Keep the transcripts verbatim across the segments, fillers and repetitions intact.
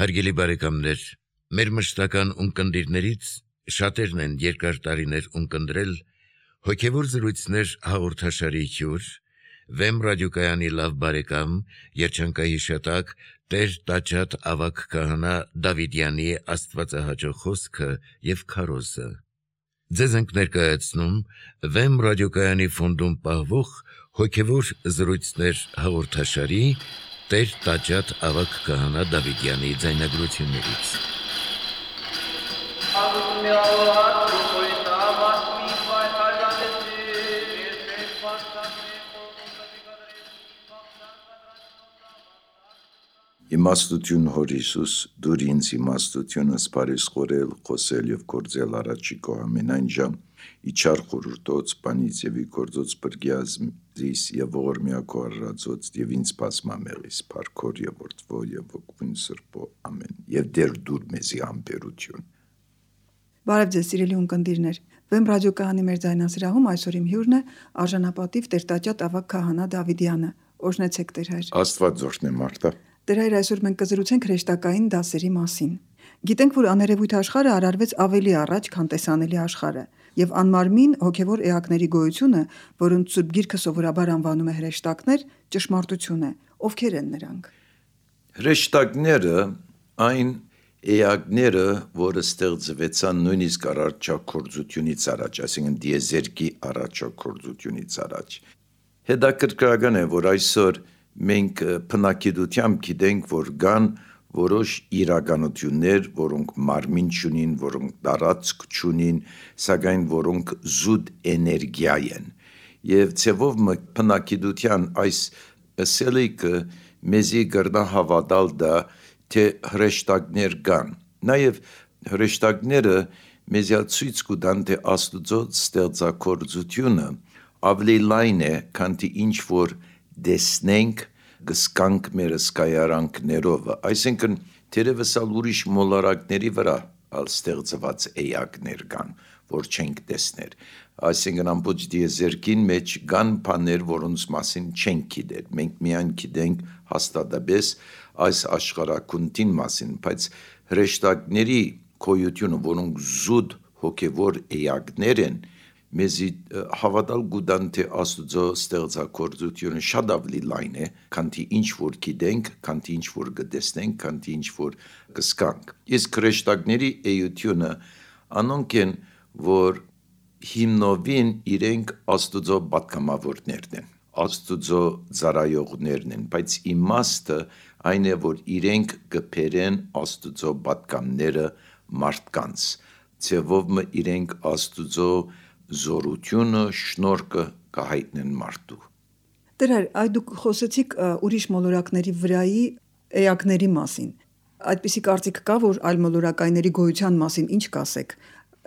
Հարգելի բարեկամներ, մեր մշտական ունկնդիրներից շատերն են երկար տարիներ ունկնդրել հոգևոր զրույցներ հաղորդաշարի հյուր, Վեմ ռադիոկայանի լավ բարեկամ, երջանկահիշատակ Տեր Տաճատ ավագ քահանա Դավիդյանի աստվածահաճո խոսքը եւ քարոզը։ Ձեզ ենք ներկայացնում Վեմ ռադիոկայանի ֆոնդում պահվող հոգևոր զրույցներ հաղորդաշարի Տեր Տաճատ ավագ քահանա Դավիդյանի ձայնագրություններից։ Իմաստություն Հոր Հիսուս, դուր ինձ իմաստությունը սպարիս խորել, խոսել և գործել առաջիկո ամենայն ժամ, իչար խորուրդոց, պանից և ի գործոց պրգյազմ զիս և ողորմյակո առրացոց և ինձ պասմամեղիս, պարքոր և որդվո և ոգվուն սրպո, ամեն, և դեր դուր մեզի ամպերություն։ Բարև ձեզ սիրելի ունկնդիրներ, Վեմ ռադիոկայանի մեր ձայնասրահում այսօր իմ հյուրն է արժանապատիվ Տեր Տաճատ ավագ քահանա Դավիդյանը, օրհնեցեք Տեր հայր։ Աստված օրհնե Մարտա։ Տեր հայր, այսօր մենք կզրուցենք հրեշտակային դասերի մասին։ Գիտենք, որ աներևույթ աշխարհը արարվեց ավելի առաջ, քան տեսանելի աշխարհը, եւ անմարմին հոգեվոր էակների գոյությունը, որոնց Սուրբ Գիրքը սովորաբար անվանում է հրեշտակներ, ճշմարտություն է։ Ովքեր են նրանք։ Հրեշտակները այն էակները, որը ստեղծվեցան նույնիսկ առաջաքորձությունից առաջ, այսինքն դիեզերքի առաջաքորձությունից առաջ։ Հետաքրքրական է, որ այսօր մենք բնակիդությամբ գիտենք, որ կան որոշ իրականություններ, որոնք մարմին չունին, որոնք տարածք չունին, սակայն որոնք զուտ էներգիա են։ Եվ ցևով բնակիդության այս ըսելիքը մեզի կրնա հավատալ դա, թե հրեշտակներ կան։ Նաև հրեշտակները մեզի ցույց կտան, թե Աստծո ստեղծագործությունը ավելի լայն է, քան թե ինչ որ դեսնենք գսկանք մեր սկայարանքներով, այսինքն թերևս ալ ուրիշ մոլորակների վրա ալ ստեղծված էակներ կան, որ չենք տեսներ, այսինքն ամբողջ դիեզերքին մեջ կան բաներ, որոնց մասին չենք գիտեր, մենք միայն գիտենք հաստատաբես այս աշխարհակունտին մասին, բայց հրեշտակների գոյությունը, որոնք զուտ հոգևոր էակներ են, մեզի հավատալ կտան, թե Աստծո ստեղծագործությունը շատ ավելի լայն է, քան թե ինչ որ գիտենք, քան թե ինչ որ կտեսնենք, քան թե ինչ որ կզգանք։ Իսկ հրեշտակների էությունը անոնք են, որ հիմնովին իրենք Աստծո պատգամավորներն են, Աստծո ծառայողներն են, բայց իմաստը այն է, որ իրենք կբերեն Աստծո պատգամները մարդկանց, ցևով իրենք Աստծո զորությունը, շնորհքը կհայտնեն մարդու։ Տեր հայր, այ դուք խոսեցիք ուրիշ մոլորակների վրայի էակների մասին։ Այդպիսի կարծիք կա, որ այլ մոլորակայինների գոյության մասին ինչ կասեք։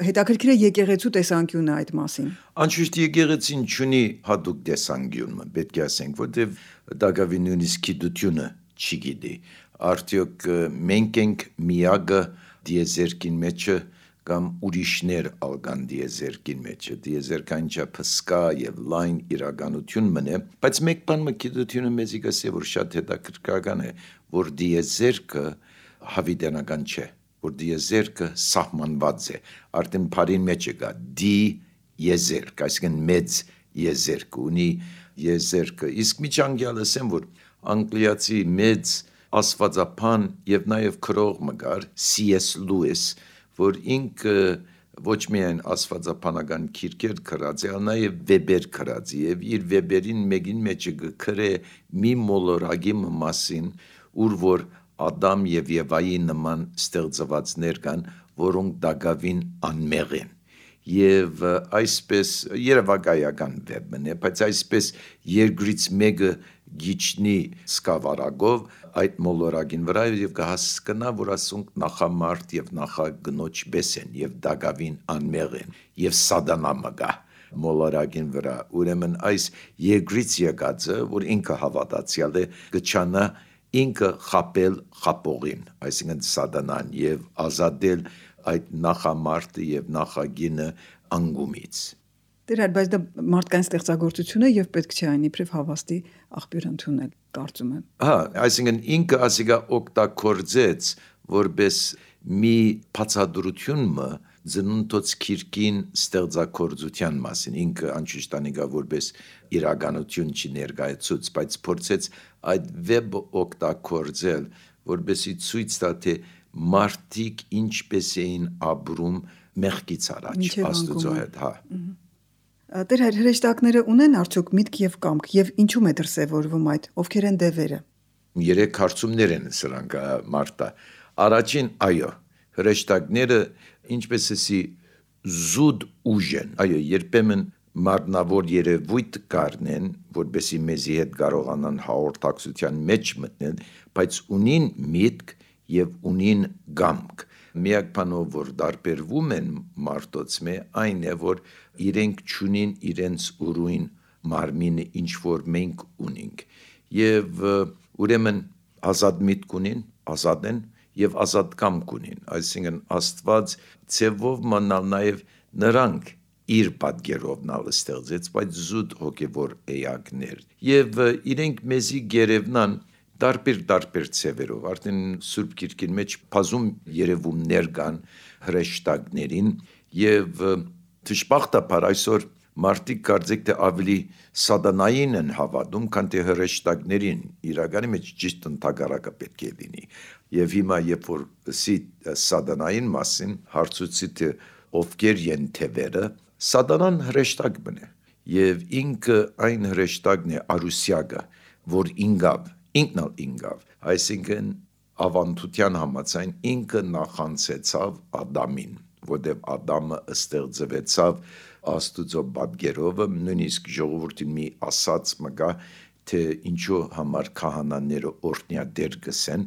Հետաքրքիր է եկեղեցու տեսանկյունը այդ մասին։ Անշուշտ եկեղեցին չունի հատուկ տեսանկյուն, պետք է ասենք, որտեղ դակավի նույնիսկ գիտությունը չի գիտի։ Արդյոք մենք ենք միակը դիեզերքին մեջը կամ ուրիշներ ալգան դիեզերքին մեջը, դիեզերքային չափը սկա եւ լայն իրականություն մնե, բայց մեկ բան մկիտությունը մեզի կասի, որ շատ հետաքրքրական է, որ դիեզերքը հավիտենական չէ, որ դիեզերքը սահմանված է, արդեն բարին մեջը կա դի եզերք, այսինքն մեծ եզերք ունի եզերքը, իսկ միջանկյալ ասեմ, որ անգլիացի մեծ աստվածապան եւ նաեւ քրող մգար Սի Էս Լուիս, որ ինքը ոչ միայն աստվածապանական քիրքեր գրած է, այլ նաև վեբեր գրած է, եւ իր վեբերին մեկին մեջը գրե մի մոլորակի մասին, ուր որ Ադամ եւ Եվայի նման ստեղծվածներ կան, որոնք դակավին անմեղ են։ Եվ այսպես երևակայական վեբն է, բայց այսպես երկրից մեկը գիչնի սկավառակով այդ մոլորակին վրա եւ կհասկանա, որ ասոնք նախամարդ եւ նախագնոջ բես են եւ դակավին անմեղ են եւ սատանա մգա մոլորակին վրա։ Ուրեմն այս երկրից եկածը, որ ինքը հավատացյալ է, կչանա ինքը խապել խապողին, այսինքն սատանան եւ ազատել այդ նախամարտը եւ նախագինը անգումից։ Տեր հայր, բայց դա մարդկային ստեղծագործություն է եւ պետք չէ այն իբրև հավաստի աղբյուր ընդունել, կարծում եմ։ Հա, այսինքն ինքը ասիկա օգտագործեց որպես մի բացատրությունը ծնունդոց քիրքին ստեղծագործության մասին, ինքը անշուշտ անիկա որպես իրականություն չի ներկայացուց, բայց փորձեց այդ վեբը օգտագործել, որպեսզի ցույց տա, թե մարդիկ ինչպես էին ապրում մեղքից առաջ, Աստծո հետ, հա։ Տեր հայր, հրեշտակները ունեն արդյոք միտք եւ կամք, եւ ինչու՞մ է դրսեւորվում այդ, ովքեր են դևերը։ Երեք հարցումներ են սրանք, Մարտա։ Առաջին, այո, հրեշտակները ինչպես էսի զուտ ուժ են, այո, երբեմն մարմնավոր երևույթ կառնեն, որպեսզի մեզի հետ կարողանան հաղորդակցության մեջ մտնել, բայց ունին միտք եւ ունին կամք։ Միակ բանով, որ դարբերվում են մարդոց մե, այն է, որ իրենք չունին իրենց ուրույն մարմինը, ինչ որ մենք ունենք։ Եվ ուրեմն ազատ միտք ունին, ազատ են եւ ազատ կամք ունին, այսինքն Աստված ցևով մնալ նաեւ նրանք իր պատկերով նալ ստեղծեց, բայց զուտ հոգևոր էակներ։ Եվ իրենք մեզի գերևնան դարբեր-դարբեր ցևերով, արդեն Սուրբ Գիրքին մեջ բազում երևումներ կան հրեշտակներին եւ դժբախտաբար այսօր մարդիկ կարծեք թե ավելի սատանային են հավատում, քան թե հրեշտակներին, իրականի մեջ ճիշտ ընդհակառակը պետք է լինի։ Եվ հիմա երբ որ սի սատանային մասին հարցուցի թե ովքեր են թևերը, սատանան հրեշտակ բնե եւ ինքը այն հրեշտակն է արուսյակը, որ ինգավ ինքնալ ինգավ, այսինքն ավանդության համաձայն ինքը նախանցեցավ Ադամին, որտեղ Ադամը ստեղծվեցավ Աստուծո պատկերով, նույնիսկ ժողովրդին մի ասած մգա, թե ինչու համար քահանաները օրհնյադեր գսեն,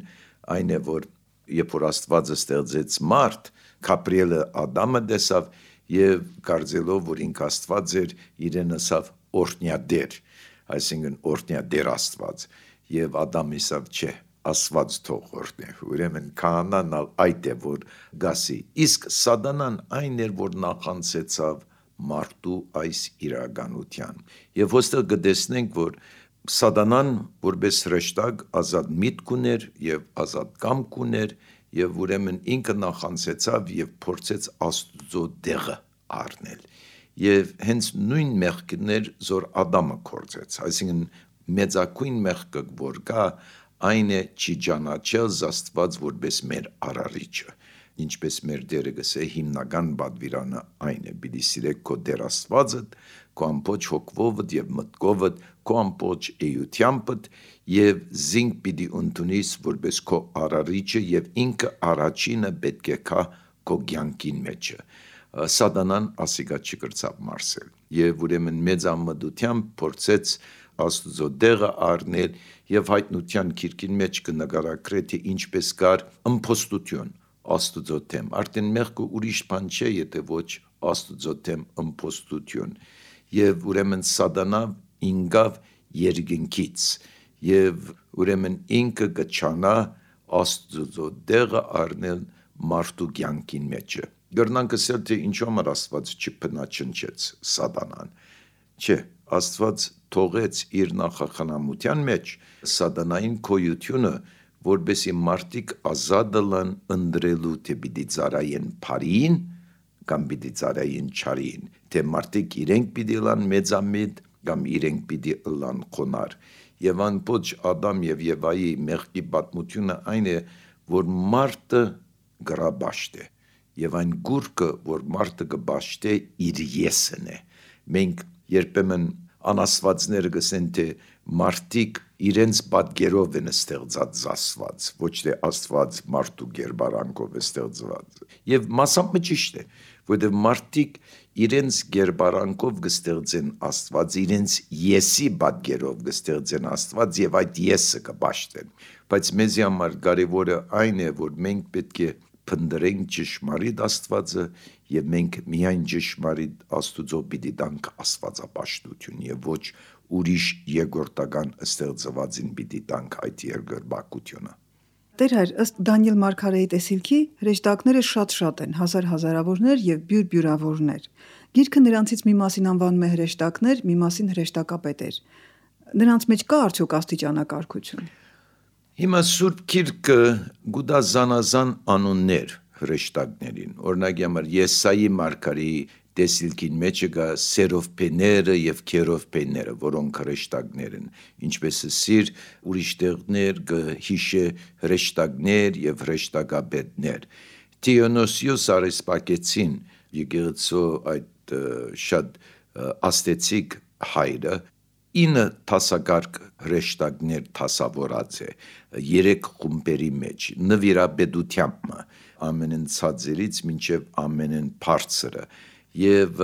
այն է, որ երբ որ Աստվածը ստեղծեց մարդ, Գաբրիելը Ադամը տեսավ եւ կարծելով, որ ինքը Աստված էր, իրեն ասավ օրհնյադեր, այսինքն օրհնյադեր Աստված, եւ Ադամը ասավ, չէ, Աստված թող օրհնե, ուրեմն քահանան այդ է, որ գասի, իսկ սատանան այն էր, որ նախանցեցավ մարդու այս իրականության։ Եվ ոստեղ կտեսնենք, որ սատանան որպես հրեշտակ ազատ միտք ուներ եւ ազատ կամք ուներ եւ ուրեմն ինքը նախանցեցավ եւ փորձեց Աստծո դեղը առնել։ Եվ հենց նույն մեղքներ, որ Ադամը կործեց, այսինքն մեծակույն մեղքը, որ կա, այն է չի ճանաչել Աստված որպես մեր արարիչը, ինչպես մեր Տերը գսե հիմնական պատվիրանը այն է՝ պիտի սիրեք քո Տեր Աստվածդ, քո ամբողջ հոգովդ եւ մտքովդ, քո ամբողջ էյությանդ եւ զինք պիտի ընդունիս որպես քո արարիչը եւ ինքը առաջինը պետք է կա քո կյանքին մեջը։ Սատանան ասիկա չկրծավ մարսել եւ ուրեմն մեծամտությամբ փորձեց Աստծո դեղը առնել եւ հայտնության քիրքին մեջ կնկարագրե թե ինչպես կար ըմփոստություն Աստծո թեմ, արդեն մեղքը ուրիշ բան չէ, եթե ոչ Աստծո թեմ ըմփոստություն եւ ուրեմն սատանա ինգավ երկնքից եւ ուրեմն ինքը կչանա Աստծո դեղը առնել մարդու կյանքին մեջը։ Գրնանք ասել թե ինչու համար Աստված չփնաչնչեց սատանան։ Չէ, Աստված թողեց իր նախախնամության մեջ սատանային քոյությունը, որպեսի մարդիկ ազատ լան ընտրելու թե պիտի ծառայեն բարին կամ պիտի ծառայեն չարին, թե մարդիկ իրենք պիտի լան մեծամիտ կամ իրենք պիտի լան խոնար։ Եվ անպոջ Ադամ եւ Եվայի մեղքի պատմությունը այն է, որ մարդը գրաբաշտ է եւ այն գուրկը, որ մարդը կբաշտե իր եսն է։ Մենք երբեմն անաստվածները գսեն թե մարդիկ իրենց պատկերով են ստեղծած Աստված, ոչ թե Աստված մարդու գերբարանքով է ստեղծված։ Եվ մասամբ ճիշտ է, որտեղ մարդիկ իրենց գերբարանքով կստեղծեն Աստված, իրենց եսի պատկերով կստեղծեն Աստված եւ այդ եսը կբաշտեն։ Բայց մեզի համար կարևորը այն է, որ մենք պետք է փնտրենք ճշմարիտ Աստվածը եւ մենք միայն ճշմարիտ Աստուծո պիտի տանք աստվածապաշտություն եւ ոչ ուրիշ երկրորդական ստեղծվածին պիտի տանք այդ երկրպագությունը։ Տեր հայր, ըստ Դանիել Մարգարեի տեսիլքի, հրեշտակները շատ-շատ են, հազար-հազարավորներ եւ բյուր-բյուրավորներ։ Գիրքը նրանցից մի մասին անվանում է հրեշտակներ, մի մասին հրեշտակապետեր։ Նրանց մեջ կա արդյոք աստիճանակարգություն։ Հիմա Սուրբ Գիրքը գուտա զանազան անուններ հրեշտակներին, օրինակ համար Եսայի մարգարեի տեսիլքին մեջը գա սերովփեները եւ քերովփեները, որոնք հրեշտակներ են, ինչպես սիր ուրիշ տեղներ հիշե հրեշտակներ եւ հրեշտակաբետներ։ Դիոնոսիոս Արեսպակեցին եկեղեցու այդ շատ աստեցիկ հայրը ինը տասագարկ հրեշտակներ տասավորած է երեք խումբերի մեջ նվիրաբեդությամբ ամենեն ցածրից մինչև ամենեն բարձրը եւ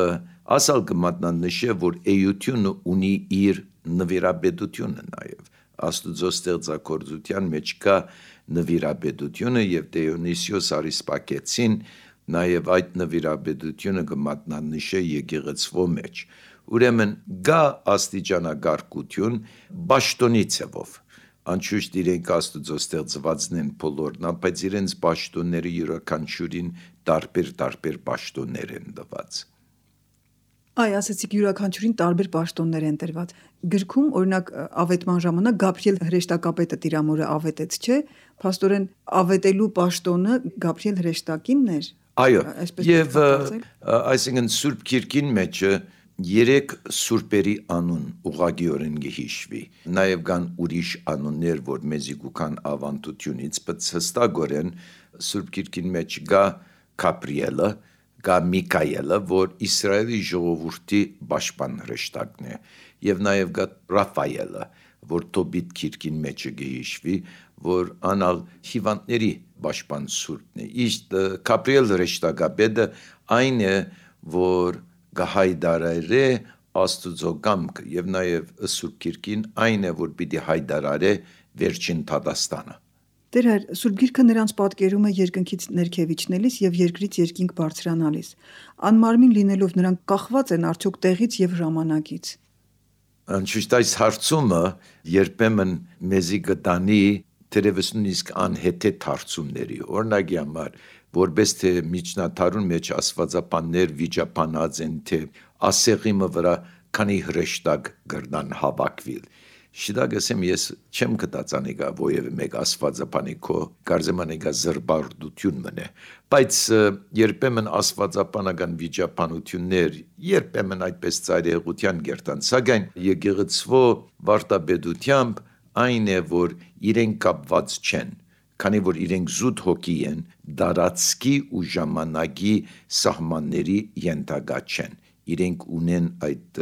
ասալ կմատնանշե որ էությունը ունի իր նվիրաբեդությունը նաեւ Աստուծո ստեղծագործության մեջ կա նվիրաբեդությունը եւ Դիոնիսիոս Արիսպակեցին նաեւ այդ նվիրաբեդությունը կմատնանշե եկեղեցվո մեջ ուրեմն գա աստիճանագարկություն բաշտոնի ցևով անշուշտ իրենք Աստուծո ստեղծվածն են բոլորն, բայց իրենց պաշտոնները յուրաքանչյուրին տարբեր-տարբեր պաշտոններ են տված։ Այ ասացիք յուրաքանչյուրին տարբեր պաշտոններ են տրված։ Գրքում օրինակ ավետման ժամանակ Գաբրիել հրեշտակապետը տիրամորը ավետեց, չէ՞։ Փաստորեն ավետելու պաշտոնը Գաբրիել հրեշտակինն էր։ Այո, եւ այսինքն Սուրբ Գիրքին մեջ երեք սուրբերի անուն ուղղակիորեն գհիշվի նաև կան ուրիշ անուններ որ մեզի գուքան ավանդությունից բայց հստակորեն Սուրբ Գիրքին մեջ կա Գաբրիելը կա Միքայելը որ Իսրայելի ժողովրդի պաշտպան հրեշտակն է եւ նաև կա Ռաֆայելը որ Տոբիտ Գիրքին մեջ գհիշվի որ անալ հիվանդների պաշտպան սուրբն է իսկ Գաբրիել հրեշտակապետը այն է որ գահայդարարե Աստուծո կամքը եւ նաեւ Սուրբ Գիրքին այն է որ պիտի հայդարարե վերջին Թադաստանը։ Տեր հայր, Սուրբ Գիրքը նրանց պատկերում է երկնքից ներքևիչնելիս եւ երկրից երկինք բարձրանալիս։ Անմարմին լինելով նրանք կախված են արդյոք տեղից եւ ժամանակից։ Անշուշտ այս հարցումը երբեմն մեզի գտանի թերևս նույնիսկ անհեթեթ հարցումների օրինակի համար որպես թե միջնադարուն մեջ աստվածապաններ վիճապանած են թե ասեղիմը վրա քանի հրեշտակ գրնան հավաքվիլ շիդագեսեմ ես չեմ գտած անիկա ովևէ մեկ աստվածապանի քո կարծեմ անիկա զրբարդություն մնե բայց երբեմն աստվածապանական վիճապանություններ երբեմն այդպես ծայրահեղության գերտան սակայն եկեղեցվո վարտաբեդությամբ այն է որ իրենք կապված չեն քանի որ իրենք զուտ հոգի են դարածքի ու ժամանակի սահմանների ենթակա չեն իրենք ունեն այդ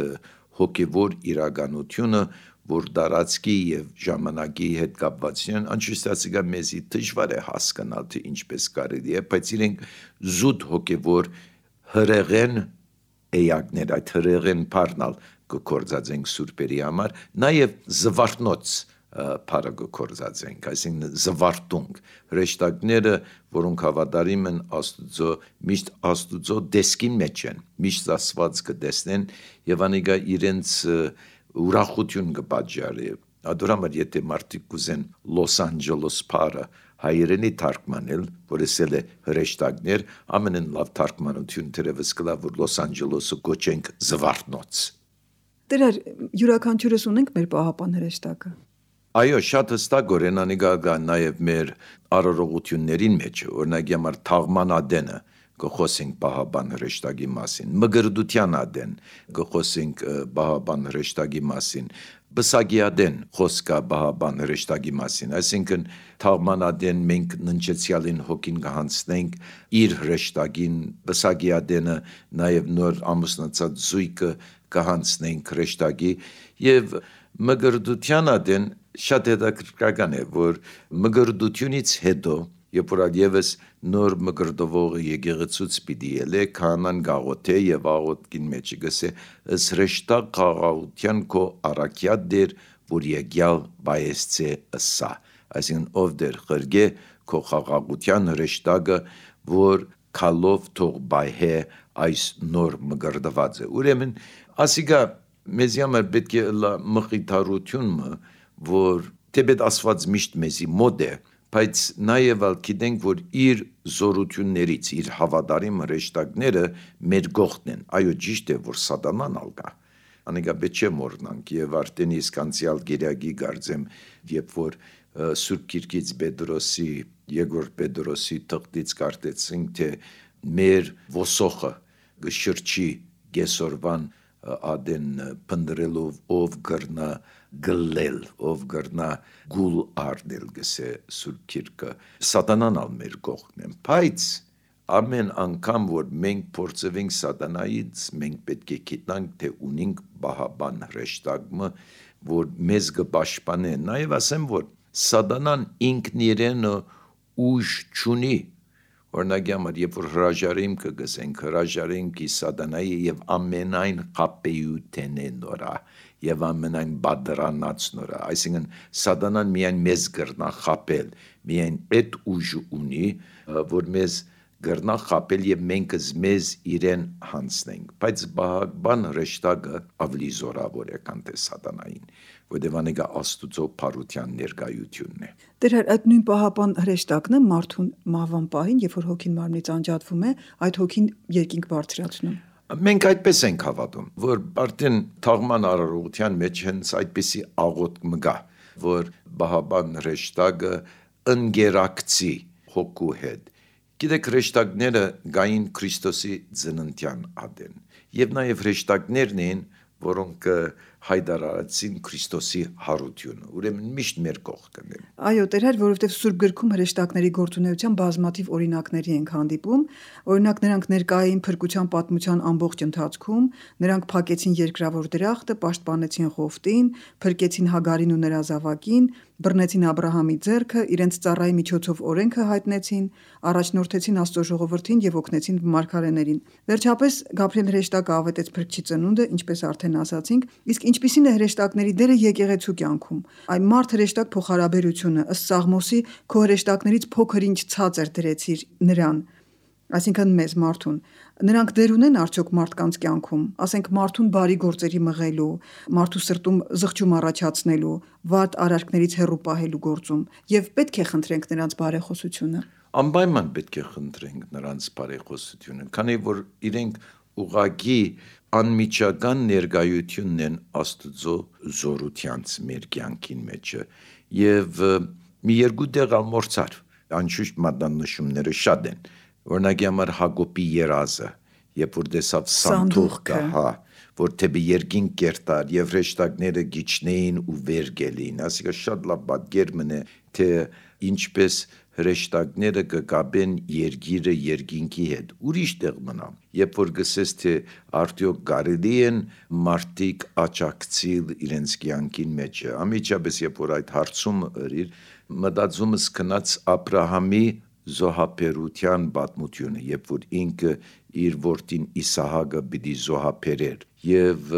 հոգևոր իրականությունը որ դարածքի եւ ժամանակի հետ կապված են անշուշտ մեզի դժվար է հասկանալ թե ինչպես կարելի է բայց իրենք զուտ հոգևոր հրեղեն էակներ այդ հրեղեն բառնալ կկործածենք սուրբերի համար նաեւ զվարթնոց Փարագը կորզածենք, այսինքն զվարթունք, հրեշտակները, որոնք հավատարիմ են Աստուծո, միշտ Աստուծո դեսքին մեջ են, միշտ Աստված կտեսնեն եւ անիկա իրենց ուրախություն կպատճառի։ Ադորամար եթե մարդիկ կուզեն Լոս Անջելոս փարը հայերենի թարգմանել, որ ասել է հրեշտակներ, ամենն լավ թարգմանություն թերևս կլա, որ Լոս Անջելոսը կոչենք զվարթնոց։ Տեր յուրաքանչյուրս ունենք մեր պահապան հրեշտակը։ Այո, շատ հստակորեն անիկա կա նաև մեր արարողություններին մեջ, օրինակ համար թաղմանադենը կխոսենք պահապան հրեշտակի մասին, մգրդության ադեն կխոսենք պահապան հրեշտակի մասին, բսագիադեն խոսքա պահապան հրեշտակի մասին, այսինքն թաղմանադեն մենք ննջեցյալին հոգին կհանցնենք իր հրեշտակին, բսագիադենը նաև նոր ամուսնացած զույգը կհանցնենք հրեշտակի եւ մգրդության ադեն շատ հետաքրքրական է որ մգրդությունից հետո երբ որ այլևս նոր մգրդվողը եկեղեցուց պիտի ելե քահանան գաղութե եւ աղոթքին մեջ գսե ըս հրեշտակ խաղաղության քո առաքյա դեր որ եկյալ բայեսցե ըսա այսինքն ով դեր խրգե քո խաղաղության հրեշտակը որ քալով թող բայհե այս նոր մգրդված է ուրեմն ասիգա մեզ համար պետք է լա մխիթարությունը որ թեպետ Աստված միշտ մեզի մոտ է բայց նաև գիտենք որ իր զորություններից իր հավատարիմ հրեշտակները մեր գողն են այո ճիշտ է որ սատանան ալկա անիկա պետք չէ մոռնանք եւ արդեն իսկ անցյալ գերագի գարձեմ երբ որ Սուրբ Գիրքից Պետրոսի, Երկրորդ Պետրոսի թղթից կարդեցինք, թե մեր ոսոխը գշրջի գեսորվան ադեն փնդրելով ով գրնա գլել, ով գրնա գուլ արդել գսե Սուրբ Գիրքը, սատանան ալ մեր կողքն են, բայց ամեն անգամ, որ մենք փորձվենք սատանայից, մենք պետք է գիտնանք, թե ունենք բահաբան հրեշտակը, որ մեզ կպաշտպանե, նաև ասեմ, որ սատանան ինքն իրենը ուժ չունի, օրինակ համար, երբ որ հրաժարիմ կգսենք, հրաժարենք ի սատանայի եւ ամենայն խապեյութենե նորա, եւ ամենայն բادرանած նորա, այսինքն սատանան միայն մեզ գրնա խապել, միայն այդ ուժը ունի, որ մեզ գրնա խապել եւ մենք մեզ իրեն հանցնենք, բայց բան հրեշտակը ավելի զորավոր է քան թե սատանային, որտեղ անեգա աստուծո փարության ներկայությունն է։ Դեր այդ նույն պահապան հրեշտակն է մարդուն մահվան պահին, երբ որ հոգին մարմնից անջատվում է, այդ հոգին երկինք բարձրացնում։ Մենք այդպես ենք հավատում, որ արդեն թաղման արարողության մեջ հենց այդպիսի աղոթք մգա, որ բահաբան հրեշտակը ընկերակցի հոգու հետ։ Գիտեք, հրեշտակները գային Քրիստոսի ծննդյան ադեն, եւ նաեւ հրեշտակներն են, որոնք հայտարարեցին Քրիստոսի հարությունը, ուրեմն միշտ մեր կողքն են։ Այո, Տեր, որովհետև Սուրբ Գրքում հրեշտակների գործունեության բազմաթիվ օրինակների ենք հանդիպում, օրինակ նրանք ներկա էին փրկության պատմության ամբողջ ընթացքում, նրանք փակեցին երկրավոր դրախտը, պաշտպանեցին Ղովտին, փրկեցին Հագարին ու նրա զավակին, բռնեցին Աբրահամի ձեռքը, իրենց ծառայի միջոցով օրենքը հայտնեցին, առաջնորդեցին Աստծո ժողովրդին եւ օգնեցին մարգարեներին։ Վերջապես Գաբրիել հրեշտակը ավետեց Փրկչի ծնունդը, ինչպես արդեն ասացինք, իսկ ինչպիսին է հրեշտակների դերը եկեղեցու կյանքում։ Այն մարդ հրեշտակ փոխհարաբերությունը, ըստ Սաղմոսի, քո հրեշտակներից փոքր ինչ ցածր դրեցիր նրան, այսինքն մեզ մարդուն։ Նրանք դեր ունեն արդյոք մարդկանց կյանքում, ասենք մարդուն բարի գործերի մղելու, մարդու սրտում զղջում առաջացնելու, վատ արարքներից հեռու պահելու գործում, եւ պետք է խնդրենք նրանց բարեխոսությունը։ Անպայման պետք է խնդրենք նրանց բարեխոսությունը, քանի որ իրենք ուղղակի անմիջական ներկայությունն են Աստծո զորությանց մեր կյանքին մեջը, եւ մի երկու տեղ ամորցար, անշուշտ մատնանշումները շատ են, օրինակի համար Հակոբի երազը, երբ որ տեսավ սանդուղքը, հա, որ թեպի երկինք կերտար եւ հրեշտակները գիչնեին ու վեր գելին, ասիկա շատ լավ պատկեր մնե, թե ինչպես հրեշտակները կգաբեն երկիրը երկինքի հետ, ուրիշ տեղ մնա, երբ որ գսես, թե արդյոք կարելի են մարդիկ աճակցիլ իրենց կյանքին մեջը, ամիջապես երբ որ այդ հարցումը ըրիր, մտածումս կնաց Աբրահամի զոհաբերության պատմությունը, երբ որ ինքը իր որդին Իսահակը պիտի զոհաբերեր, եւ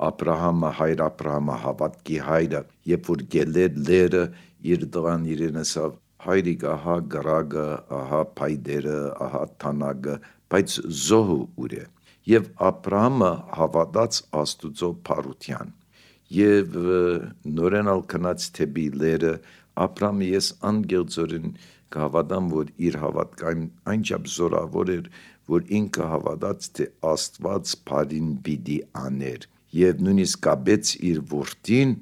Աբրահամը, հայր Աբրահամը, հավատքի հայրը, երբ որ գելեր լերը իր տղան իրենսավ, հայրիկ, ահա գրագը, ահա փայդերը, ահա թանագը, բայց զոհը ուր է, եւ Աբրահամը հավատաց Աստուծո փարության, եւ նորենալ կնաց թեպի լերը, Աբրահամը ես անգելձորեն կհավատամ, որ իր հավատքային այնչափ զորավոր էր, որ ինքը հավատաց, թե Աստված բարին պիտի աներ, եւ նույնիսկ կապեց իր որդին,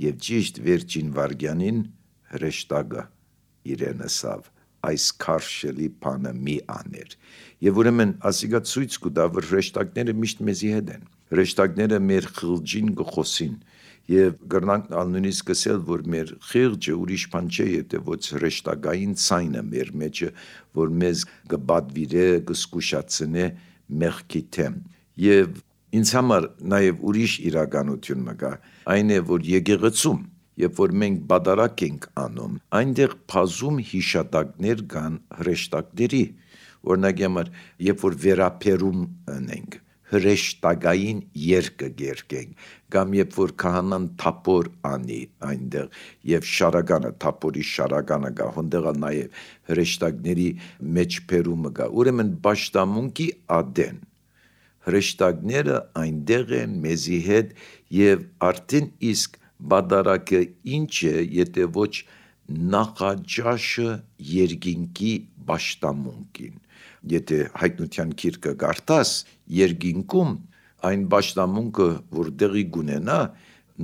եւ ճիշտ վերջին վարգյանին հրեշտակը իրենսավ, այս քարշելի բանը մի աներ, եւ ուրեմն ասիկա ցույց կտա, որ հրեշտակները միշտ մեզի հետ են, հրեշտակները մեր խղճին կխոսին, եւ գրնանք նույնիսկ ասել, որ մեր խիղճը ուրիշ բան չէ, եթե ոչ հրեշտակային ցայնը մեր մեջը, որ մեզ կբադվիրե, կսկուշացնե մեղքի թեմ, եւ ինձ համար նաեւ ուրիշ իրականություն մգա, այն է, որ եկեղեցում, երբ որ մենք բադարակ ենք անում, այնտեղ բազում հիշատակներ կան հրեշտակների, օրինակ համար, երբ որ վերապերում ունենք, հրեշտակային երգը գերկենք, կամ երբ որ քահանան թափոր անի այնտեղ եւ շարականը, թափորի շարականը կա, հոնդեղ նաեւ հրեշտակների մեջբերումը կա, ուրեմն պաշտամունքի ադեն հրեշտակները այնտեղ են մեզի հետ եւ արդեն իսկ բադարակը ինչ է, եթե ոչ նախաճաշը երկինքի պաշտամունքին, եթե հայտնության գիրքը կարդաս, երկինքում այն պաշտամունքը, որ դեղի գունենա,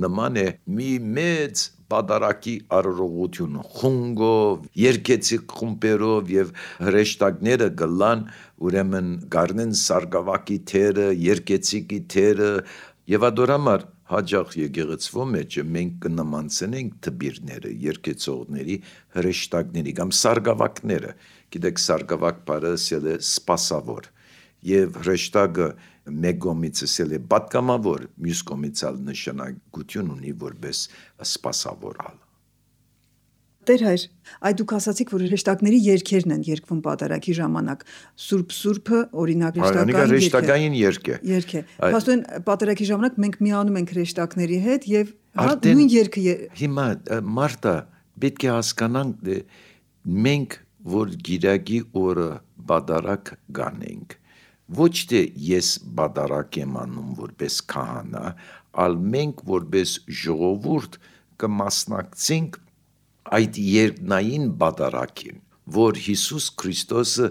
նման է մի մեծ բադարակի արարողություն խունգով, երկեցիկ խումբերով եւ հրեշտակները գլան ուրեմն գարնեն սարգավակի թերը, երկեցիկի թերը եւ ադորամար հաջող եկեղեցվո մեջ մենք կնմանցնենք թբիրները, երկեցողների, հրեշտակների կամ սարգավակները, գիտեք սարգավակ բառը ասել է սպասավոր եւ հրեշտակը մեկ կողմից ասել է պատգամավոր, մյուս կողմից ալ նշանակություն ունի որպես սպասավորալ։ Տեր հայր, այդ դուք ասացիք, որ հրեշտակների երգերն են երգվում պատարագի ժամանակ։ Սուրբ Սուրբը օրինակ հրեշտակային երգ է։ Երգ է։ Փաստորեն պատարագի ժամանակ մենք միանում ենք հրեշտակների հետ եւ նույն երգը հիմա Մարտա պետք է հասկանանք մենք որ գիրակի օրը բադարակ գանենք ոչ թե ես բադարակ եմ անում որպես քահանա, այլ մենք որպես ժողովուրդ կմասնակցենք այդ երկնային բադարակին, որ Հիսուս Քրիստոսը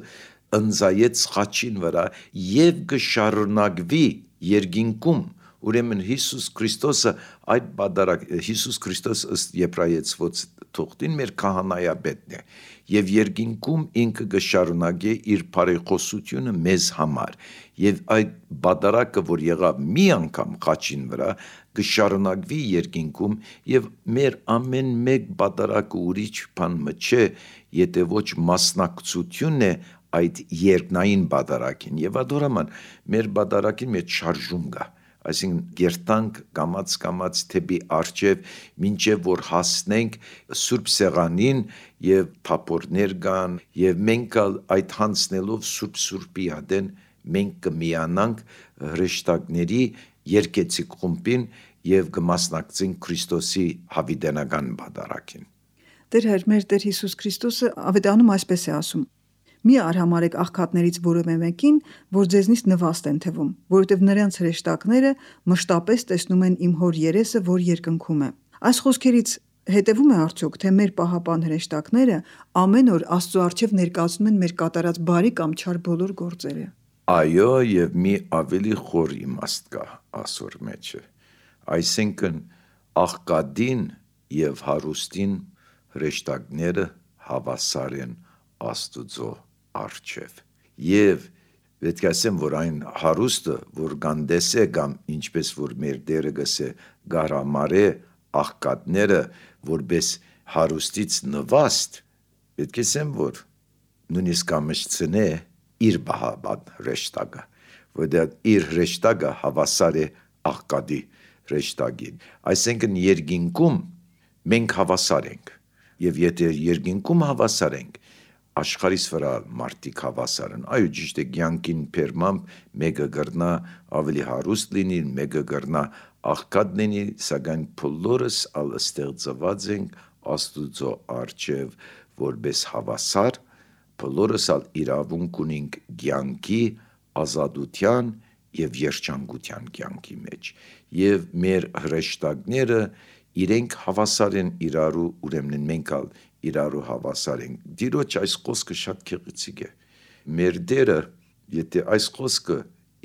ընձայեց խաչին վրա եւ կշարունակվի երկինքում, ուրեմն Հիսուս Քրիստոսը այդ բադարակ Հիսուս Քրիստոս ըստ Եբրայեցված թողտին մեր քահանայապետն է եւ երկինքում ինքը կշարունակի իր բարեխոսությունը մեզ համար եւ այդ բադարակը որ եղավ մի անգամ խաչին վրա կշարունակվի երկինքում եւ մեր ամեն մեկ բադարակը ուրիշ բան չէ եթե ոչ մասնակցությունն է այդ երկնային բադարակին եւ ադորաման մեր բադարակին մեջ շարժում կա այսինքն գերտանք կամած կամած թեպի արջև մինչև որ հասնենք Սուրբ Սեղանին եւ թափորներ կան եւ մենք այդ հանցնելով Սուրբ Սուրբի ադեն մենք կմիանանք հրեշտակների երկեցիկ խումբին եւ կմասնակցենք Քրիստոսի հավիտենական բադարակին։ Տեր հայր, մեր Տեր Հիսուս Քրիստոսը ավետանում այսպես է ասում. Մի արհամարեք աղքատներից որևէ մեկին, որ ձեզնից նվաստ են թվում, որովհետև նրանց հրեշտակները մշտապես տեսնում են իմ հոր երեսը, որ երկնքում է։ Այս խոսքերից հետևում է արդյոք, թե մեր պահապան հրեշտակները ամեն օր Աստծո առջև ներկայացնում են մեր կատարած բարի կամ չար բոլոր գործերը։ Այո, եւ մի ավելի խոր իմաստ կա ասոր մեջը։ Այսինքն աղքատին եւ հարուստին հրեշտակները հավասար են Աստուծո առջև եւ պետք է ասեմ որ այն հարուստը որ գանդես է կամ ինչպես որ մեր դերը գսե գարամարե աղքատները որպես հարուստից նվաստ պետք է ասեմ որ նույնիսկ ամսցնե իր բահաբան հրեշտակը որտեղ իր հրեշտակը հավասար է աղքատի հրեշտակին այսինքն երկինքում մենք հավասար ենք եւ եթե երկինքում հավասար ենք աշխարհիս վրա մարդիկ հավասար են այո ճիշտ է կյանքին փերմամբ մեկը գրնա ավելի հարուստ լինի մեկը գրնա աղքատ լինի սակայն բոլորս ալ ստեղծված ենք Աստուծո առջև որպես հավասար բոլորս ալ իրավունք ունենք կյանքի ազատության եւ երջանկության կյանքի մեջ եւ մեր հրեշտակները իրենք հավասար են իրարու ուրեմն մենք ալ իրարու հավասար ենք դիրոջ այս խոսքը շատ քեղեցիկ է մեր դերը եթե այս խոսքը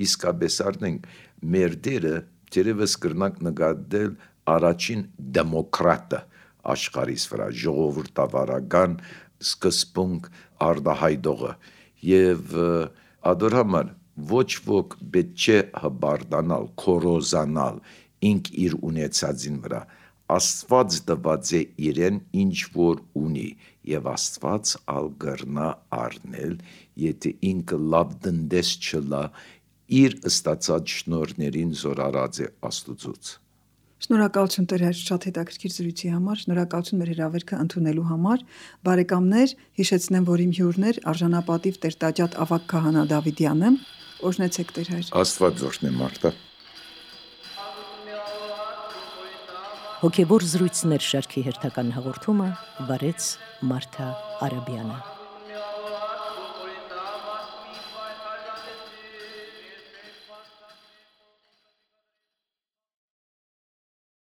իսկապես առնենք մեր դերը դերևս կրնանք նկատել առաջին դեմոկրատը աշխարհիս վրա ժողովրդավարական սկզբունք արդահայտողը եւ ադորհամար ոչ ոք պետք չէ հբարդանալ քորոզանալ ինք իր ունեցածին վրա Աստված տված է իրեն ինչ որ ունի եւ Աստված ալ գրնա առնել եթե ինքը լավ դնդես չլա իր ստացած շնորհներին զորարած է Աստուծոց Շնորհակալություն Տեր հայր շատ հետաքրքիր զրույցի համար շնորհակալություն մեր հրավերքը ընդունելու համար բարեկամներ հիշեցնեմ որ իմ հյուրն էր արժանապատիվ Տեր-Տաճատ ավագ քահանա Դավիթյանը օրհնեցեք Տեր հայր Աստված օրհնի Մարտա Հոգևոր զրույցներ շարքի հերթական հաղորդումը վարեց Մարթա Արաբյանը